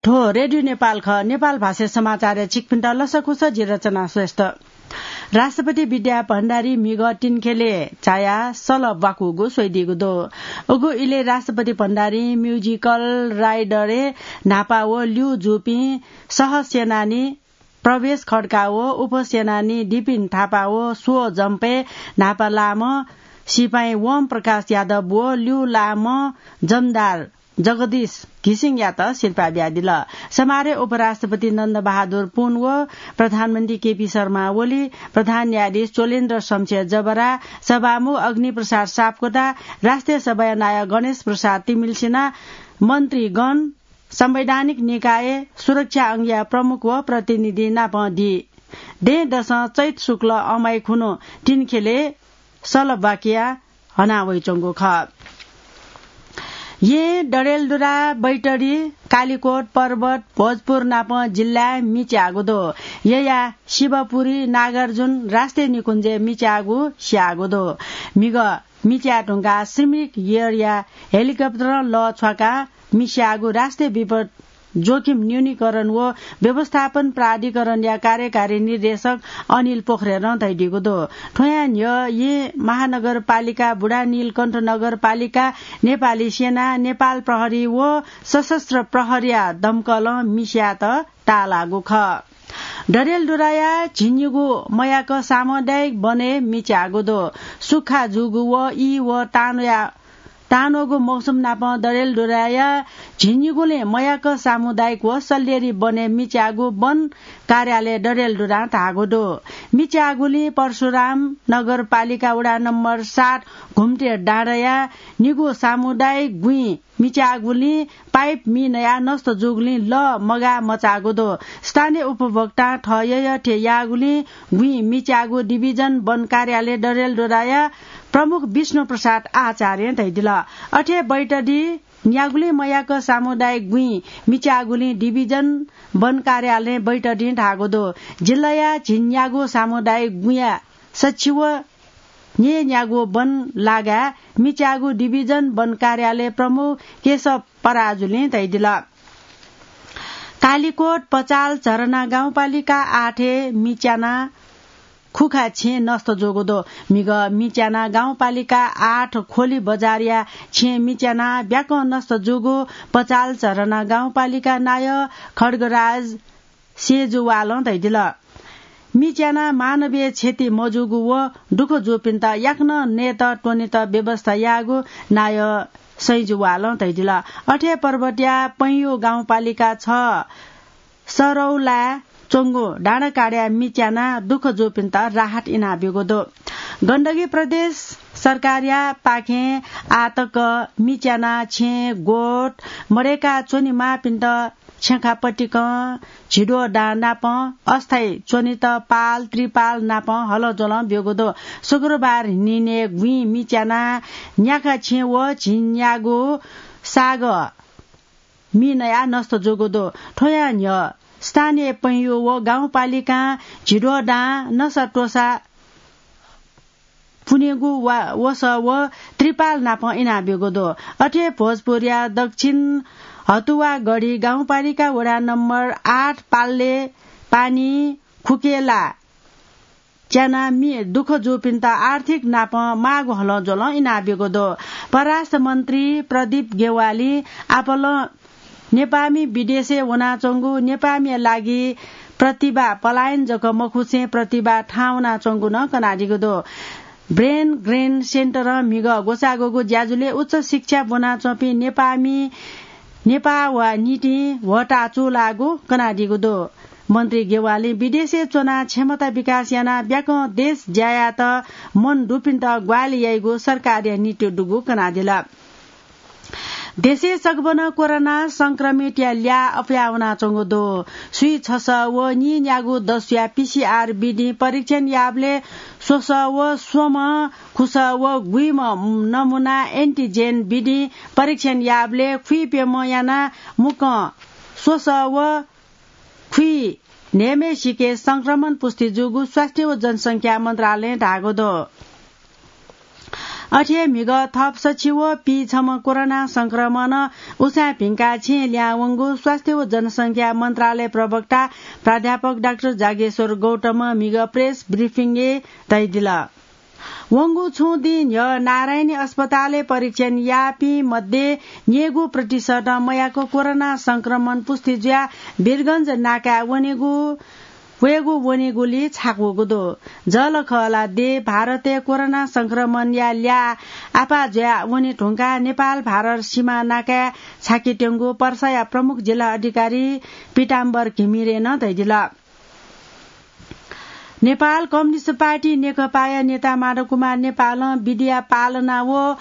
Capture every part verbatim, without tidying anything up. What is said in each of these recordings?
थ्व रेडियो नेपाल खः। नेपाल भाषा समाचारय् छिकपिन्त लसकुस, जि रचना श्रेष्ठ। राष्ट्रपति विद्या भण्डारी म्हिगः तिनखेलय् झायाः सल ब्वाकूगु स्वइदीगु दु। उगु इलय् राष्ट्रपति भण्डारी म्युजिकल राइडरय् न्हापा व ल्यू जूपिं सहसेनानी प्रवेश खड्का व उपसेनानी दिपिन थापा व स्व जम्पय् न्हापा लाःम्ह सिपाइँ वम प्रकाश यादव व ल्यू लाःम्ह जमदार जगदीश घिसिङयात सिरपाः बियादिल। समारोहय् उपराष्ट्रपति नन्द बहादुर पुन व प्रधानमन्त्री केपी शर्मा ओली, प्रधान न्यायाधीश चोलेन्द्र शमशेर जबरा, सभामुख अग्निप्रसाद सापकोटा, राष्ट्रिय सभाया नायः गणेश प्रसाद तिमिल्सिना, मन्त्रीगण, संवैधानिक निकाय सुरक्षा अंगया प्रमुख व प्रतिनिधि नापं दी। दँय् दसं चैत शुक्ल अमाइ खुन्हु तिनखेलय् सल ब्वाकिया हना वइच्वंगु खः। येँ, डडेलधुरा, बैतडी, कालिकोट, पर्वत, भोजपुर नापं जिल्लाय् मिच्याःगु दु। येँया शिवपुरी, नागार्जुन राष्ट्रिय निकुञ्जय् मिच्याःगु स्याःगु दु। म्हिगः मिच्याये धुंकाः श्रीमिक एयरया हेलिकप्टरं लः छ्वाकाः मिस्याःगु राष्ट्रिय विपद जोखिम न्यूनीकरण व व्यवस्थापन प्राधिकरणया कार्यकारी निर्देशक अनिल पोखरेलं धयादीगु दु। थ्वयां न्ह्यः येँ महानगरपालिका, बुढानीलकण्ठ नगरपालिका, नेपाली सेना, नेपाल प्रहरी व सशस्त्र प्रहरीया दमकलं मिस्यायेत ताःलाःगु खः। डडेलधुराया झिंनिगू मयाक सामुदायिक वनय् मिच्याःगु दु। सुख्खा जूगु व ई व तानोया तानोगु मौसम नापं डडेलधुराया झिंनिगुलिं मयाक सामुदायिक व सल्लेरी वनय् मिच्याःगु वन कार्यालय डडेलधुरां धाःगु दु। मिच्याःगुलिं परशुराम नगरपालिका वडा नम्बर सात घुम्टे डाँडाया निगू सामुदायिक गुँइ मिच्याःगुलिं पाइप मि नयाः नष्ट जूगुलिं लः मगाः मचाःगु दु। स्थानीय उपभोक्तां थः यःयःथें याःगुलिं गुँइ मिच्याःगु डिभिजन वन कार्यालय डडेलधुराया प्रमुख विष्णु प्रसाद आचार्यं धयादिल। अथे बैतडी न्यागुलिं मयाक सामुदायिक गुँइ मिच्याःगुलिं डिभिजन वन कार्यालयं बैतडीं धाःगु दु। जिल्लाया झिंन्यागू सामुदायिक गुँया सछि व न्यय्‌न्यागू वन लागाय् मिच्याःगु डिभिजन वन कार्यालय प्रमुख केशव पराजुलिं धयादिल। कालिकोट पचाल झरना गाउँपालिका आठय् मिच्याना खुखा छेँ नष्ट जूगु दु। म्हिगः मिच्याना गाउँपालिका आठ खोली बजारया छेँ मिच्याना ब्याकं नष्ट जूगु पचाल झरना गाउँपालिका नायः खड्गराज सेजुवालं धयादिल। मिच्याना मानवीय क्षति मजूगु व दुःख जूपिन्त याकनं नयेत त्वनेत व्यवस्था याःगु नायः सैजुवालं धयादिल। अथे पर्वतया पैंयु गाउँपालिका छ सरौलाय् च्वंगु डाँडाकाँडाया मिच्याना दुःख जूपिन्त राहत इनाब्यूगु दु। गण्डकी प्रदेश सरकारया पाखें आःतक मिच्याना छेँ, गोठ मदय्‌का च्वनेमाःपिन्त छेँखा पतिकं झिद्वः दां नापं अस्थायी च्वनेत पाल, त्रिपाल नापं हलज्वलं ब्यूगु दु। शुक्रबार न्हिनय् गुँइ मिच्याना न्याखा छेँ व झिंन्यागू सागः मि नयाः नष्ट जूगु दु। थ्वयां न्ह्यः स्थानीय पैंयु व गाउँपालिकां झिद्वः दां नसा त्वसा पुनेगु वा-, वसः व त्रिपाल नापं इनाब्यूगु दु। अथे भोजपुरया दक्षिण हतुवागढी गाउँपालिका वडा नम्बर आठ पाल्ले पानी खुकेला च्याना मि दुःख जूपिन्त आर्थिक नापं माःगु हलज्वलं इनाब्यूगु दु। परराष्ट्र मन्त्री प्रदीप गेवालीं आपालं नेपाःमि विदेशय् वनाच्वंगु नेपाःमिया लागि प्रतिभा पलायन जक मखुसें प्रतिभा थाहां वनाच्वंगु नं कनादीगु दु। ब्रेन ग्रेन सेन्टरं म्हिगः ग्वसाःग्वःगु ज्याझ्वलय् उच्च शिक्षा ब्वनाच्वंपिं नेपाःमि नेपाः वा निंतिं ह्वःताः चूलाःगु कनादीगु दु। मन्त्री गेवालीं विदेशय् च्वनाः क्षमता विकास यानाः ब्याकं देश ज्या यायेत मन दुपिन्त ग्वाहालि याइगु सरकारया नीति दुगु कनादिल। देशय् सकभनं कोरोना संक्रमितया ल्याः अप्वया वनाच्वंगु दु। स्वीछसः व नीन्यागू दसुया पीसीआर विधिं परीक्षण याःबलय् स्वसः व स्वम्ह, खुसः व गुइम्ह नमुना एन्टिजेन विधिं परीक्षण याःबलय् खुइप्यम्ह यानाः मुक्कं स्वसः व खुइन्हय्‌म्हय्‌सिके संक्रमण पुष्टि जूगु स्वास्थ्य व जनसंख्या मन्त्रालयं धाःगु दु। अथे म्हिगः थप सछि व पीछम्ह कोरोना संक्रमण उसाँय् भिंकाः छेँय् लिहां वंगु स्वास्थ्य व जनसंख्या मन्त्रालय प्रवक्ता प्राध्यापक डाक्टर जागेश्वर गौतमं म्हिगः प्रेस ब्रिफिङय् धयादिल। वंगु छुं दिं न्ह्यः नारायणी अस्पतालय् परीक्षण याःपिं मध्ये न्यय्‌गू प्रतिशतं मयाक कोरोना संक्रमण पुष्टि जुयाः वीरगंज नाकाय् वनेगु वयेगु वनेगुली छाकूगु दु। जःलाखःला देय् भारतय् कोरोना संक्रमणया ल्याः आपाः जुयाः वने धुंकाः नेपाल भारत सीमा नाकाय् छाकेत्यंगु पर्साया प्रमुख जिल्ला अधिकारी पीताम्बर घिमिरें नं धयादिल। नेपाल कम्युनिस्ट पार्टी नेकपाया नेता माधव कुमार नेपालं विधिया पालना व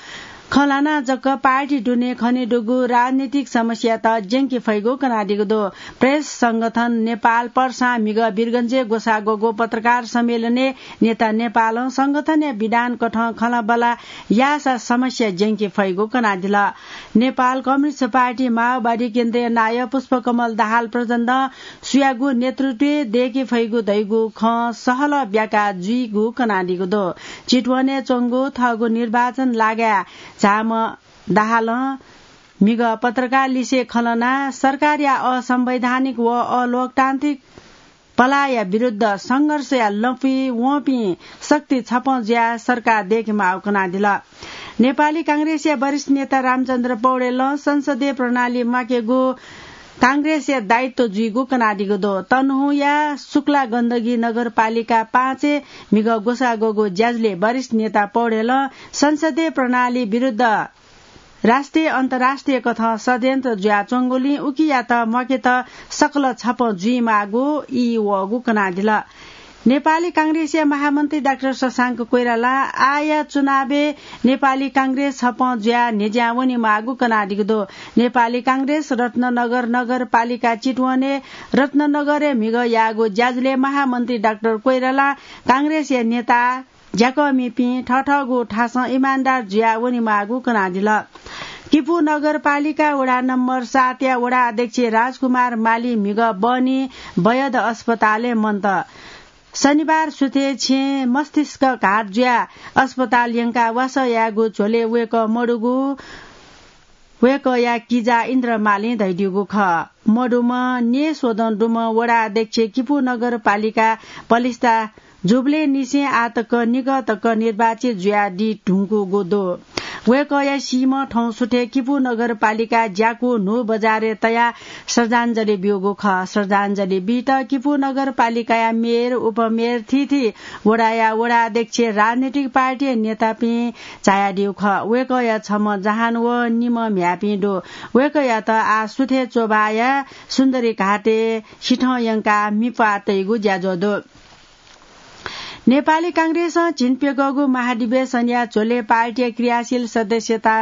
खँ ल्हानाः जक पार्टी दुने खनेदुगु राजनीतिक समस्यात ज्यंके फइगु कनादीगु दु। प्रेस संगठन नेपाल पर्सां म्हिगः वीरगंजय् ग्वसाः ग्वःगु पत्रकार सम्मेलनय् नेता नेपालं संगठनया विधान कथं खँल्हाबल्हा याःसा समस्या ज्यंके फइगु कनादिल। नेपाल कम्युनिस्ट पार्टी माओवादी केन्द्रीय नायः पुष्पकमल दाहाल प्रचण्डं सुयागु नेतृत्वय् दयेके फइगु धइगु खँ सहलह ब्याका जुइगु कनादीगु दु। चितवनय् च्वंगु थःगु निर्वाचन लागाय् झाःम्ह दाहालं म्हिगः पत्रकार लिसे खँ ल्हानाः सरकारया असंवैधानिक व अलोकतान्त्रिक पलाःया विरुद्ध संघर्षया लँपुइ वंपिं शक्ति छपं जुयाः सरकार दयेके माःगु कनादिल। नेपाली कांग्रेसया वरिष्ठ नेता रामचन्द्र पौडेलं संसदीय प्रणाली म्वाकेगु कांग्रेसया दायित्व जुइगु कनादीगु दु। तनहुँया शुक्ला गण्डकी नगरपालिका पाँचय् म्हिगः ग्वसाः ग्वःगु ज्याझ्वलय् वरिष्ठ नेता पौडेलं संसदीय प्रणाली विरुद्ध राष्ट्रिय अन्तर्राष्ट्रिय कथं षड्यन्त्र जुयाच्वंगुलिं उकियात म्वाकेत सकल छपं जुइमाःगु ई वःगु कनादिल। नेपाली कांग्रेसया महामन्त्री डाक्टर शशांक कोइरालां आःया चुनावय् नेपाली कांग्रेस छपं जुयाः न्ह्यज्यां वनेमाःगु कनादीगु दु। नेपाली कांग्रेस रत्ननगर नगरपालिका चितवनय् रत्ननगरय् म्हिगः याःगु ज्याझ्वलय् महामन्त्री डाक्टर कोइरालां कांग्रेसया नेता ज्याकःमिपिं थःथःगु थासं इमानदार जुयाः वनेमाःगु कनादिल। किपू नगरपालिका वडा नम्बर सातया वडा अध्यक्ष राजकुमार माली म्हिगः बहनी बयद अस्पतालय् मन्त। शनिबार सुथय् छेँय् मस्तिष्क घात जुयाः अस्पताल यंकाः वासः यायेगु झ्वलय् वय्कः मदुगु वय्कःया किजा इन्द्र मालीं धयादीगु खः। मदुम्ह न्येस्वदँ दुम्ह वडा अध्यक्ष किपू नगरपालिका पलिस्था जूबलय् निसें आः तक निकः तक निर्वाचित जुयादी धुंकूगु दु। वय्कःया सीम्ह थौं सुथय् किपू नगरपालिका ज्याकू न्हू बजारय् तयाः श्रद्धाञ्जलि ब्यूगु खः। श्रद्धाञ्जलि बीत किपू नगरपालिकाया मेयर, उपमेयर, थीथी वडाया वडा अध्यक्ष, राजनीतिक पार्टीया नेतापिं झायादीगु खः। वय्कःया छम्ह जहान व निम्ह म्ह्याय्पिं दु। वय्कःयात आः सुथय् च्वभाःया सुन्दरी घाटय् सिथं यंकाः मिप्वाः तइगु ज्याझ्वः दु। नेपाली कांग्रेसं झिंप्यकःगु महाधिवेशनया झ्वलय् पार्टीया क्रियाशील सदस्यता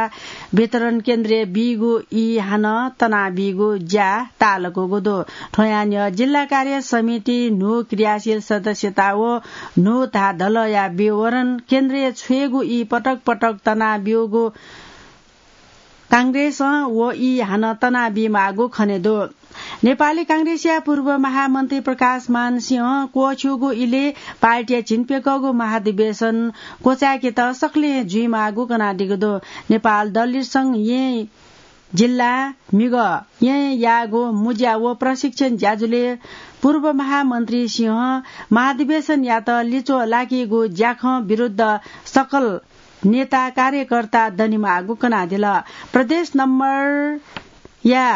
वितरण केन्द्रय् बीगु ई हानं तनाबीगु ज्या ताःलाकूगु दु। थ्वयां न्ह्यः जिल्ला कार्य समिति न्हू क्रियाशील सदस्यता व न्हू धाःधलया विवरण केन्द्रय् छ्वयेगु ई पटक पटक तनाब्यूगु कांग्रेसं व ई हानं तनाबीमाःगु खने दु। नेपाली कांग्रेसया पूर्व महामन्त्री प्रकाशमान सिंहं क्वःछ्यूगु इलय् पार्टीया झिंप्यकःगु महाधिवेशन क्वचाय्केत सकलें जुइमाःगु कनादीगु दु। नेपाल दलित संघ येँ जिल्ला म्हिगः येँ याःगु मुँज्या व प्रशिक्षण ज्याझ्वलय् पूर्व महामन्त्री सिंहं महाधिवेशनयात लिच्वः लाकीगु ज्याखँ विरुद्ध सकल नेता कार्यकर्ता दनेमाःगु कनादिल। प्रदेश नम्बरया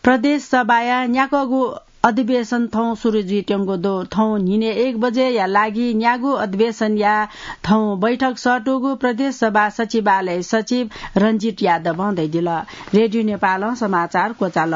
प्रदेश सभाया न्याकःगु अधिवेशन थौं सुरु जुइत्यंगु दु। थौं न्हिनय् एक बजेया लागि न्यागू अधिवेशनया थौं बैठक सःतूगु प्रदेश सभा सचिवालय सचिव रञ्जित यादवं धयादिल। रेडियो नेपालं समाचार क्वचाल।